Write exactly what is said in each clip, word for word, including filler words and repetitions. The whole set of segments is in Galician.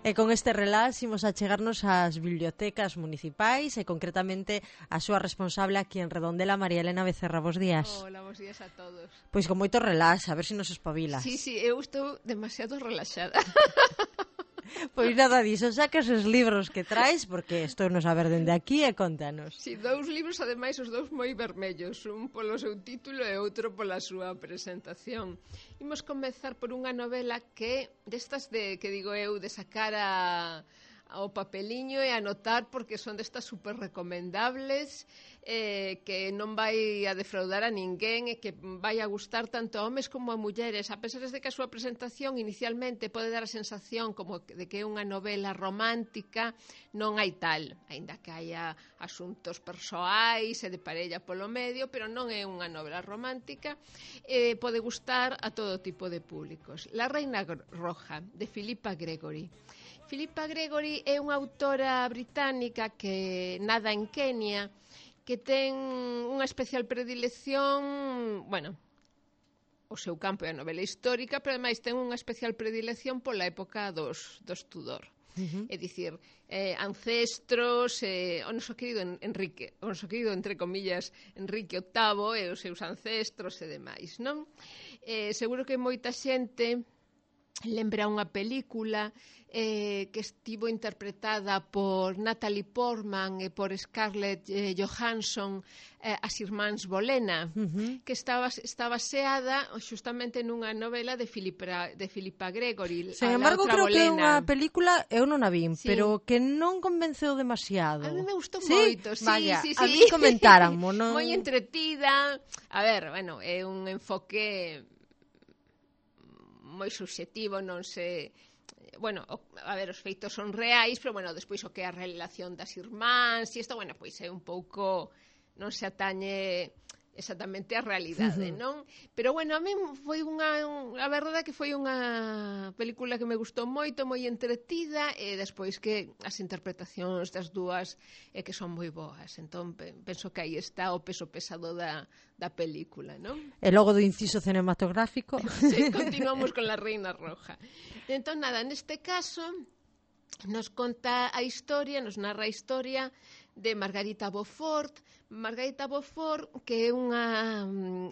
E con este relax imos a chegarnos ás bibliotecas municipais e concretamente a súa responsable aquí en Redondela, María Elena Becerra. Bos días. Hola, bos días a todos. Pois con moito relax, a ver se nos espabilas. Sí, sí, eu estou demasiado relaxada. Pois nada diso, sacas os libros que traes, porque estou non saber dende aquí e contanos. Si, sí, dous libros, ademais, os dous moi vermellos, un polo seu título e outro pola súa presentación. Imos comezar por unha novela que, destas de, que digo eu, de sacar a, ao papeliño e anotar, porque son destas super recomendables, eh, que non vai a defraudar a ninguén e que vai a gustar tanto a homes como a mulleres, a pesar de que a súa presentación inicialmente pode dar a sensación como de que é unha novela romántica, non hai tal, aínda que haya asuntos persoais e de parella polo medio, pero non é unha novela romántica, eh, pode gustar a todo tipo de públicos. La Reina Roja, de Philippa Gregory. Philippa Gregory é unha autora británica que nada en Kenia, que ten unha especial predilección, bueno, o seu campo é a novela histórica, pero ademais ten unha especial predilección pola época dos, dos Tudor. Uh-huh. É dicir, eh, ancestros, eh, o noso querido Enrique, o noso querido, entre comillas, Enrique octavo e os seus ancestros e demais, non? Eh, seguro que moita xente lembra unha película eh, que estivo interpretada por Natalie Portman e por Scarlett eh, Johansson, eh, As Irmáns Bolena, uh-huh. que estaba, está baseada justamente nunha novela de Philippa, de Philippa Gregory. Sen embargo, creo Bolena. Que é unha película, eu non a vin, sí. pero que non convenceu demasiado. A mí me gustou ¿Sí? moito, sí, Vaya, sí, sí. A mí comentaran, non... moi entretida. A ver, bueno, é un enfoque moi subxetivo, non sei, bueno, a ver, os feitos son reais, pero bueno, despois o que é a relación das irmáns e isto, bueno, pois é un pouco, non se atañe exactamente a realidade, non? Pero bueno, a mí foi unha, a verdade que foi unha película que me gustou moito, moi entretida, e despois que as interpretacións das dúas é que son moi boas, entón penso que aí está o peso pesado da, da película, non? E logo do inciso cinematográfico. Sí, continuamos con La Reina Roja. Entón, nada, neste caso nos conta a historia, nos narra a historia de Margarita Beaufort. Margarita Beaufort, que é unha,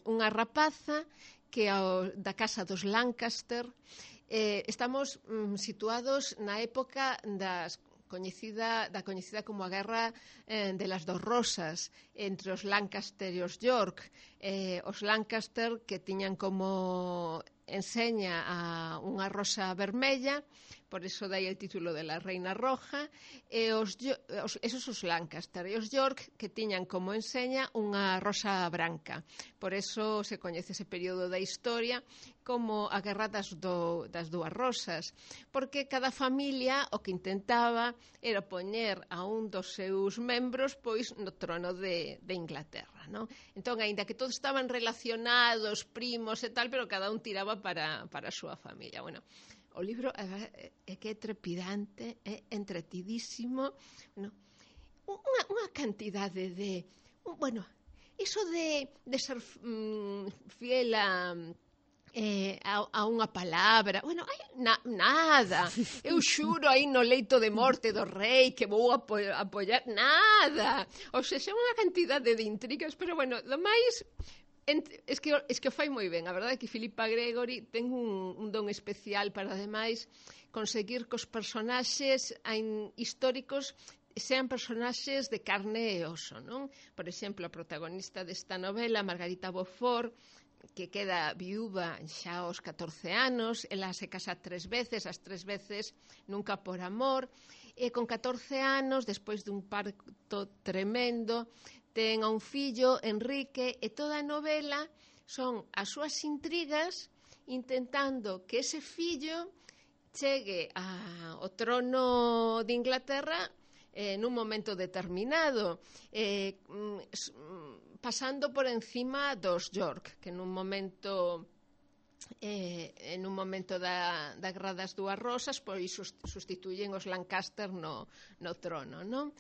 unha rapaza que ao, da casa dos Lancaster. Eh, estamos mm, situados na época das coñecida, da coñecida como a Guerra eh, de las Dos Rosas entre os Lancaster e os York. Eh, os Lancaster, que tiñan como enseña a unha rosa vermella, por eso dai el título de La Reina Roja, e os, os, esos os Lancaster, e os York, que tiñan como enseña unha rosa branca. Por eso se coñece ese período da historia como a Guerra das, do, das Dúas Rosas, porque cada familia o que intentaba era poñer a un dos seus membros pois no trono de, de Inglaterra, non? Entón, aínda que todos estaban relacionados, primos e tal, pero cada un tiraba para, para a súa familia. Bueno, o libro é, é que é trepidante, é entretidísimo, no? unha, unha cantidade de, bueno, iso de, de ser mm, fiel a... Eh, a, a unha palabra, bueno, hai na, nada, eu xuro aí no leito de morte do rei que vou apo apoiar, nada, ou seja, unha cantidade de intrigas, pero bueno, do máis es que, es que o fai moi ben, a verdade é que Philippa Gregory ten un, un don especial para ademais conseguir que os personaxes históricos sean personaxes de carne e oso, non? Por exemplo, a protagonista desta novela, Margarita Beaufort, que queda viúva xa aos catorce anos, ela se casa tres veces, as tres veces nunca por amor, e con catorce anos, despois dun parto tremendo, ten a un fillo, Enrique, e toda a novela son as súas intrigas intentando que ese fillo chegue ao trono de Inglaterra eh, nun momento determinado, eh, pasando por encima dos York, que nun momento eh, en un momento da, da Guerra das Dúas Rosas, pois sustituyen os Lancaster no, no trono, non?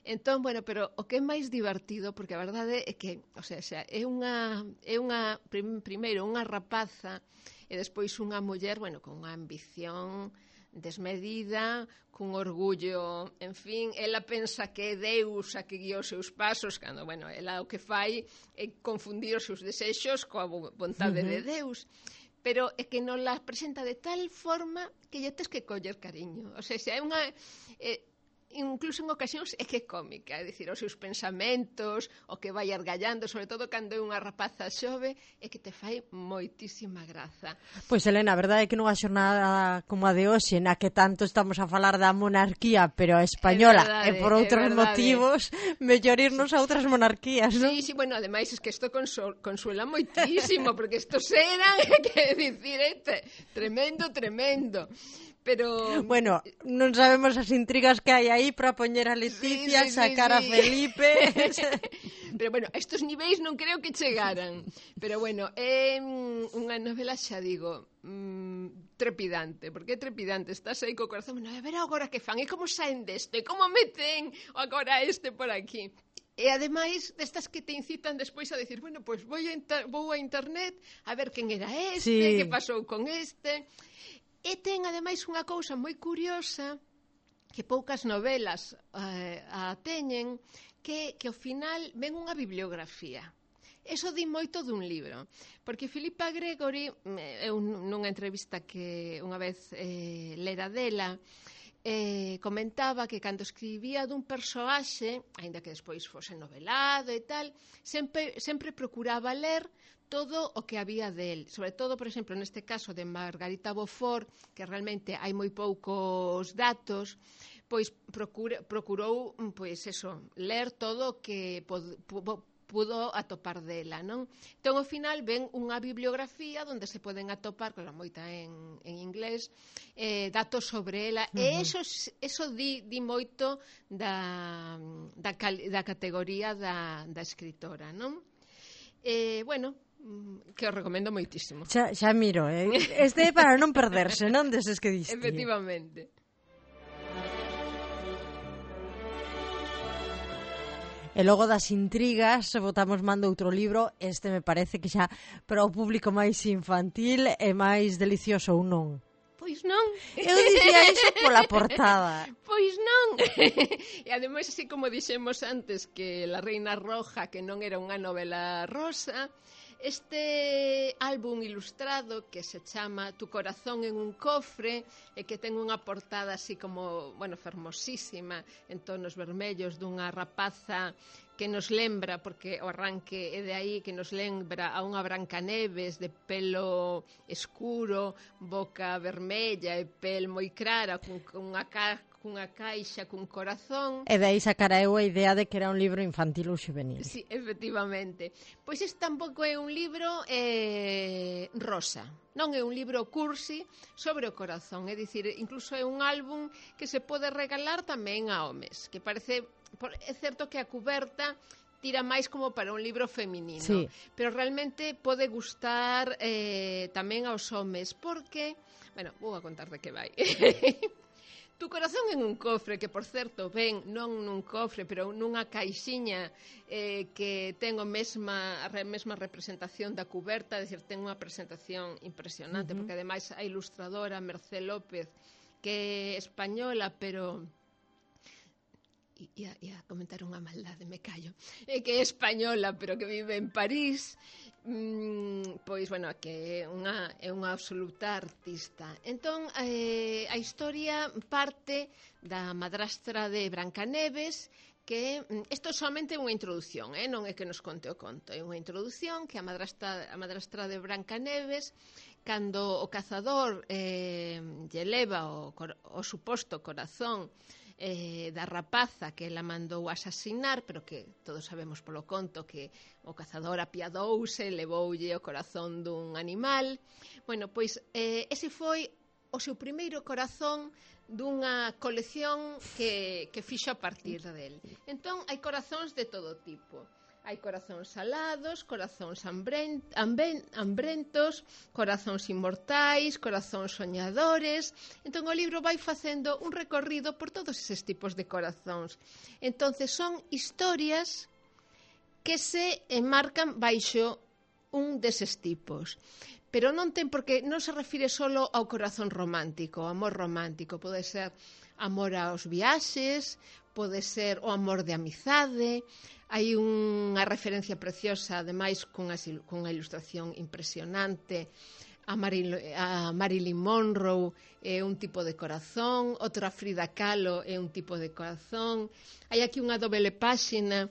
Entón, bueno, pero o que é máis divertido, porque a verdade é que, o sea, xa, é unha, é unha prim, primeiro, unha rapaza, e despois unha muller, bueno, con unha ambición desmedida, cun orgullo, en fin, ela pensa que é Deus a que guía os seus pasos, cando, bueno, ela o que fai é confundir os seus desexos coa vontade uh-huh. de Deus, pero é que non la presenta de tal forma que lle tes que coller cariño, o sea, se é unha... Eh, incluso en ocasións é que é cómica, é dicir, os seus pensamentos, o que vai argallando, sobre todo cando é unha rapaza xove, é que te fai moitísima graza. Pois, Elena, a verdade é que nunha xornada como a de hoxe, na que tanto estamos a falar da monarquía, pero a española, e por outros motivos, mellor irnos a outras monarquías, non? Sí, sí, bueno, ademais, es que isto consuela, consuela moitísimo, porque estos eran, que dicir, este, tremendo, tremendo. Pero... Bueno, non sabemos as intrigas que hai aí para poñer a Leticia, sí, sí, sacar sí, sí. a Felipe... Pero, bueno, a estos niveis non creo que chegaran. Pero, bueno, é unha novela, xa digo, mmm, trepidante. Porque é trepidante, estás aí co corazón, bueno, a ver agora que fan, e como saen deste, como meten agora este por aquí. E, ademais, destas que te incitan despois a decir, bueno, pois pues, vou a internet a ver quen era este, sí. que pasou con este... E ten, ademais, unha cousa moi curiosa que poucas novelas eh, a teñen, que, que ao final ven unha bibliografía. Eso di moito dun libro, porque Philippa Gregory, eu nunha entrevista que unha vez eh, lera dela, eh, comentaba que cando escribía dun persoaxe, aínda que despois fose novelado e tal, sempre, sempre procuraba ler todo o que había del, sobre todo, por exemplo, neste caso de Margarita Beaufort, que realmente hai moi poucos datos, pois procura, procurou, pois eso, ler todo o que pod, pudo atopar dela, non? Entón, ao final, ven unha bibliografía onde se poden atopar, claro, moita en, en inglés, eh, datos sobre ela, uh-huh. e eso, eso di, di moito da, da, cal, da categoría da, da escritora, non? Eh, bueno, que os recomendo moitísimo. Xa, xa miro, eh? Este é para non perderse, non deses que diste. Efectivamente. E logo das intrigas, botamos mando outro libro, este me parece que xa para o público máis infantil e máis delicioso ou non? Pois non. Eu dicía iso pola portada. Pois non. E ademais, así como dixemos antes que La Reina Roja, que non era unha novela rosa, este álbum ilustrado que se chama Tu corazón en un cofre e que ten unha portada así como, bueno, fermosísima, en tonos vermellos, dunha rapaza que nos lembra, porque o arranque é de aí, que nos lembra a unha Brancaneves de pelo escuro, boca vermella e pel moi clara, con, con unha ca cunha caixa cun corazón. E dai sacara eu a idea de que era un libro infantil ou juvenil. Sí, efectivamente. Pois este tampouco é un libro eh, rosa. Non é un libro cursi sobre o corazón. É dicir, incluso é un álbum que se pode regalar tamén a homes. Que parece... É certo que a cuberta tira máis como para un libro feminino. Sí. Pero realmente pode gustar eh, tamén aos homes. Porque... Bueno, vou a contar de que vai. Tu corazón en un cofre, que por certo ven non nun cofre, pero nunha caixiña eh, que ten o mesma, a mesma representación da cuberta, é dicir, ten unha presentación impresionante, uh-huh. porque ademais a ilustradora Mercé López, que é española, pero... Ia, ia comentar unha maldade, me callo, é que é española, pero que vive en París, mm, pois, bueno, que é unha, é unha absoluta artista. Entón, eh, a historia parte da madrastra de Brancaneves, que isto é somente unha introdución, eh? Non é que nos conte o conto, é unha introdución que a madrastra, a madrastra de Brancaneves, cando o cazador eh, lle leva o, o suposto corazón Eh, da rapaza que ela mandou asasinar, pero que todos sabemos polo conto que o cazador apiadouse, levoulle o corazón dun animal. Bueno, pois eh, ese foi o seu primeiro corazón dunha colección que, que fixo a partir del. Entón, hai corazóns de todo tipo. Hai corazóns salados, corazóns hambrent, hamben, hambrentos, corazóns inmortais, corazóns soñadores. Entón o libro vai facendo un recorrido por todos eses tipos de corazóns. Entonces son historias que se enmarcan baixo un deses tipos. pero non ten porque non se refire solo ao corazón romántico, ao amor romántico, pode ser amor aos viaxes, pode ser o amor de amizade. Hai unha referencia preciosa, ademais, cunha, cunha ilustración impresionante, a, Maril, a Marilyn Monroe é un tipo de corazón, outra Frida Kahlo é un tipo de corazón. Hai aquí unha doble páxina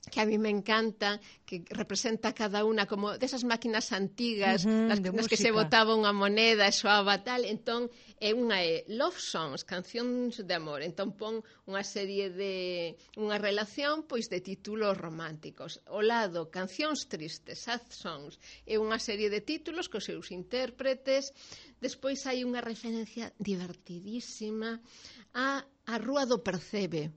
que a mí me encanta, que representa cada una como desas máquinas antigas, uh-huh, nas, nas que se botaba unha moneda e soaba tal. Entón, é unha é love songs, cancións de amor. Entón, pon unha serie de unha relación pois de títulos románticos. O lado, cancións tristes, sad songs, é unha serie de títulos cos seus intérpretes. Despois hai unha referencia divertidísima a a Rúa do Percebe.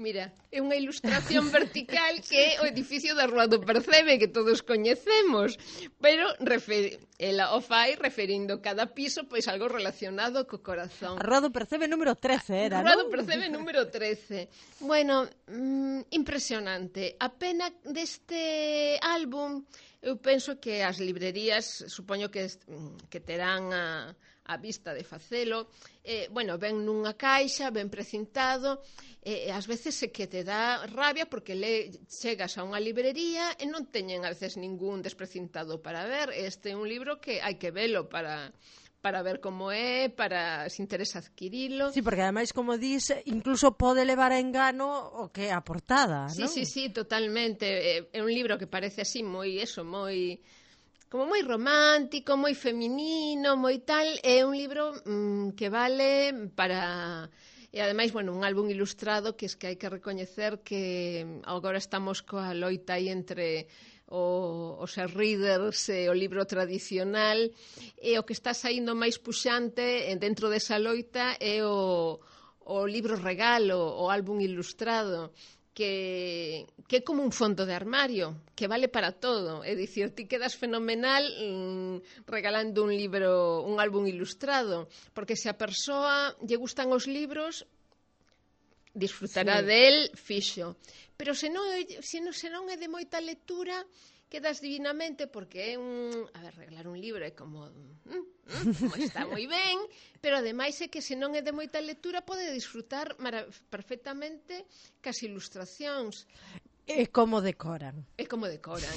Mira, é unha ilustración vertical que é o edificio da Rúa do Percebe, que todos coñecemos, pero refer... ela o fai referindo cada piso pois algo relacionado co corazón. A Rúa do Percebe número trece era, non? A Rúa do Percebe número trece. Bueno, mmm, impresionante. A pena deste álbum, eu penso que as librerías, supoño que, que terán a... a vista de facelo, eh, bueno, ven nunha caixa, ben precintado, e eh, ás veces é que te dá rabia porque le, chegas a unha librería e non teñen a veces ningún desprecintado para ver. Este é un libro que hai que velo para... para ver como é, para se interesa adquirilo. Sí, porque ademais, como dis, incluso pode levar a engano o que é a portada, sí, non? Sí, sí, totalmente. É un libro que parece así moi, eso, moi... como moi romántico, moi feminino, moi tal. É un libro mmm, que vale para... E ademais, bueno, un álbum ilustrado que es que hai que recoñecer que agora estamos coa loita aí entre o, os readers e o libro tradicional, e o que está saindo máis puxante dentro desa loita é o, o libro regalo, o álbum ilustrado, que, que é como un fondo de armario, que vale para todo. É dicir, ti quedas fenomenal mmm, regalando un libro, un álbum ilustrado, porque se a persoa lle gustan os libros, disfrutará sí. del fixo. Pero se non, se, non, se non é de moita lectura, quedas divinamente, porque é un... A ver, regalar un libro é como... Mm, mm, como está moi ben, pero ademais é que se non é de moita lectura pode disfrutar perfectamente cas ilustracións. E como decoran. E como decoran.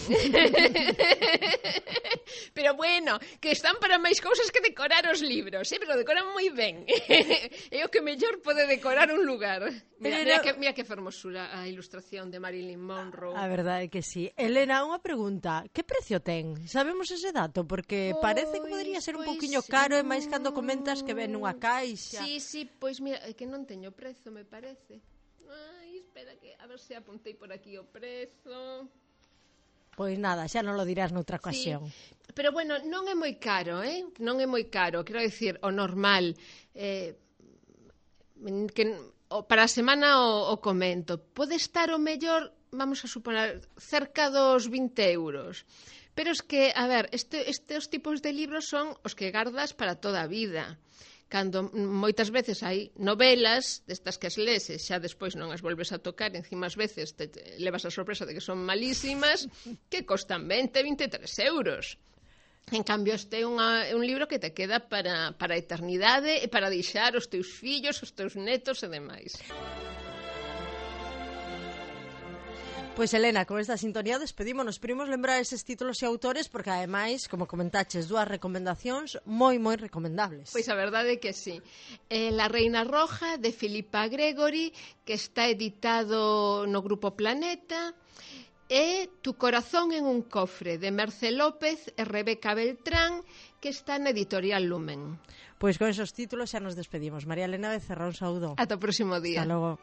Pero bueno, que están para máis cousas que decorar os libros, eh? Pero decoran moi ben. É o que mellor pode decorar un lugar. Mira, mira, que, mira que fermosura a ilustración de Marilyn Monroe. A verdade é que sí. Elena, unha pregunta. Que precio ten? Sabemos ese dato? Porque pois, parece que podería ser un pois, poquinho caro, e máis cando comentas que ven nunha caixa. Sí, sí, pois mira, é que non teño prezo, me parece. Ai, espera que a ver se apuntei por aquí o prezo. Pois nada, xa non lo dirás noutra ocasión. Sí, pero bueno, non é moi caro, eh? Non é moi caro, quero dicir, o normal. Eh, que o, para a semana o, o comento. Pode estar o mellor, vamos a suponer, cerca dos vinte euros. Pero es que, a ver, este, estes tipos de libros son os que gardas para toda a vida. Cando moitas veces hai novelas destas que as lees e xa despois non as volves a tocar, encima as veces te, te levas a sorpresa de que son malísimas, que costan vinte, vinte e tres euros. En cambio, este é unha, un libro que te queda para, para a eternidade e para deixar os teus fillos, os teus netos e demais. Pois, Elena, con esta sintonía despedímonos. Primos lembrar eses títulos e autores porque, ademais, como comentaches, dúas recomendacións moi, moi recomendables. Pois a verdade é que sí. Eh, La Reina Roja, de Philippa Gregory, que está editado no Grupo Planeta, e Tu corazón en un cofre, de Merce López e Rebeca Beltrán, que está na editorial Lumen. Pois con esos títulos xa nos despedimos. María Elena Becerra, un saúdo. Ata o próximo día. Hasta logo.